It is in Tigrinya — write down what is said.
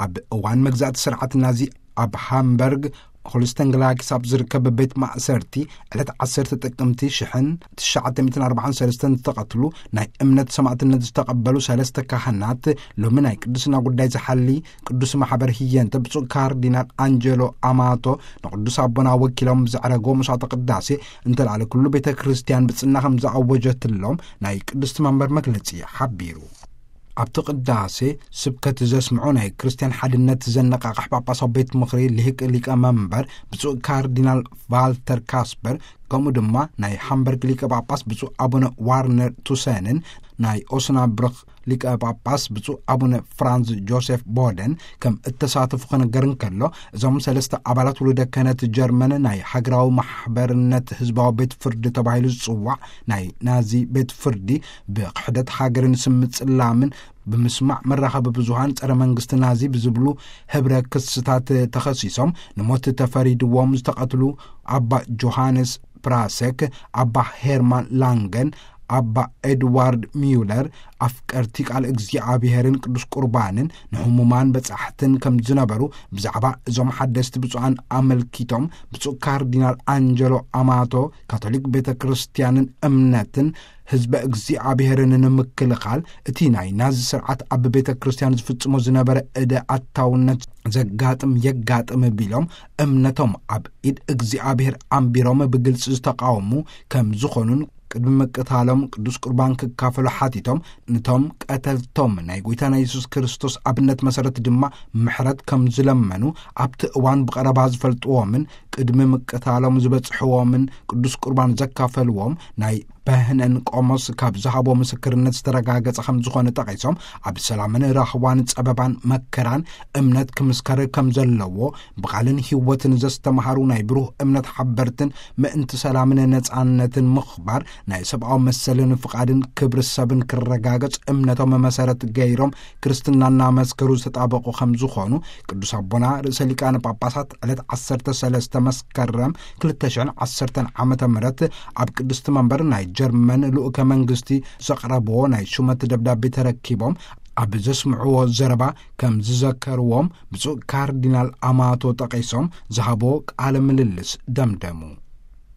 ኣብ እዋን መግዛእቲ ስርዓት ናዚ ኣብ ሃምበርግ ሆልስተንግላኪስ ኣብ ዝርከብ ቤት ማእሰርቲ ዕለት ዓሰርተ ጥቅምቲ ሽሕን ትሽዓተ ሚእትን ኣርባዓን ሰለስተን ዝተቐትሉ ናይ እምነት ሰማዕትነት ዝተቐበሉ ሰለስተ ካህናት፣ ሎሚ ናይ ቅድስና ጉዳይ ዝሓሊ ቅዱስ ማሕበር ህየንተ ብፁዕ ካርዲናል ኣንጀሎ ኣማቶ ንቅዱስ ኣቦና ወኪሎም ብዘዕረጎ መስዋዕተ ቅዳሴ እንተልዓለ ኩሉ ቤተ ክርስቲያን ብጽና ከም ዝኣወጀትሎም ናይ ቅድስቲ መንበር መግለጺ ሓቢሩ። ኣብቲ ቅዳሴ ስብከት ዘስምዑ ናይ ክርስትያን ሓድነት ዘነቃቕሕ ጳጳሳዊ ቤት ምኽሪ ልሂቅ ሊቀ መንበር ብፁዕ ካርዲናል ቫልተር ካስፐር፣ ከምኡ ድማ ናይ ሃምበርግ ሊቀ ጳጳስ ብፁዕ ኣቡነ ዋርነር ቱሰንን ናይ ኦስናብርክ ሊቀ ጳጳስ ብፁዕ ኣቡነ ፍራንዝ ጆሴፍ ቦደን ከም እተሳተፉ ክነገር እንከሎ፣ እዞም ሰለስተ ኣባላት ውሉደ ክህነት ጀርመን ናይ ሃገራዊ ማሕበርነት ህዝባዊ ቤት ፍርዲ ተባሂሉ ዝጽዋዕ ናይ ናዚ ቤት ፍርዲ ብክሕደት ሃገርን ስም ጽላምን ብምስማዕ መራኸቢ ብዙሃን ጸረ መንግስቲ ናዚ ብዝብሉ ህብረ ክስታት ተኸሲሶም ንሞት ተፈሪድዎም ዝተቐትሉ ኣባ ጆሃንስ ፕራሰክ፣ ኣባ ሄርማን ላንገን፣ ኣባ ኤድዋርድ ሚዩለር ኣፍቀርቲ ቃል እግዚኣብሔርን ቅዱስ ቁርባንን ንህሙማን በጻሕትን ከም ዝነበሩ ብዛዕባ እዞም ሓደስቲ ብፁዓን ኣመልኪቶም ብፁዕ ካርዲናል ኣንጀሎ ኣማቶ ካቶሊክ ቤተ ክርስቲያንን እምነትን ህዝበ እግዚኣብሔርን ንምክልኻል እቲ ናይ ናዚ ስርዓት ኣብ ቤተ ክርስቲያን ዝፍጽሞ ዝነበረ እደ ኣታውነት ዘጋጥም የጋጥም ቢሎም እምነቶም ኣብ ኢድ እግዚኣብሔር ኣንቢሮም ብግልጺ ዝተቃወሙ ከም ዝኾኑን ቅድሚ ምቅታሎም ቅዱስ ቁርባን ክካፈሉ ሓቲቶም፣ ነቶም ቀተልቶም ናይ ጎይታና የሱስ ክርስቶስ ኣብነት መሰረት ድማ ምሕረት ከም ዝለመኑ ኣብቲ እዋን ብቐረባ ዝፈልጥዎምን ቅድሚ ምቅታሎም ዝበጽሕዎምን ቅዱስ ቁርባን ዘካፈልዎም ናይ በህነን ቆሞስ ካብ ዝሃቦ ምስክርነት ዝተረጋገጸ ከም ዝኾነ ጠቒሶም፣ ኣብ ሰላምን ራህዋን ጸበባን መከራን እምነት ክምስከር ከም ዘለዎ ብቓልን ህይወትን ዘስተምሃሩ ናይ ብሩህ እምነት ሓበርትን ምእንቲ ሰላምን ነጻነትን ምኽባር ናይ ሰብኣዊ መሰልን ፍቓድን ክብሪ ሰብን ክረጋገጽ እምነቶም መሰረት ገይሮም ክርስትና እናመስከሩ ዝተጣበቑ ከም ዝኾኑ ቅዱስ ኣቦና ርእሰ ሊቃነ ጳጳሳት ዕለት ዓሰርተ ሰለስተ መስከረም ክልተ ሽሕን ዓሰርተን ዓመተ ምህረት ኣብ ቅድስቲ መንበር ናይ ጀርመን ልኡከ መንግስቲ ዘቕረብዎ ናይ ሹመት ደብዳቤ ተረኪቦም ኣብ ዘስምዕዎ ዘረባ ከም ዝዘከርዎም ብፁዕ ካርዲናል ኣማቶ ጠቒሶም ዝሃቦ ቃለ ምልልስ ደምደሙ።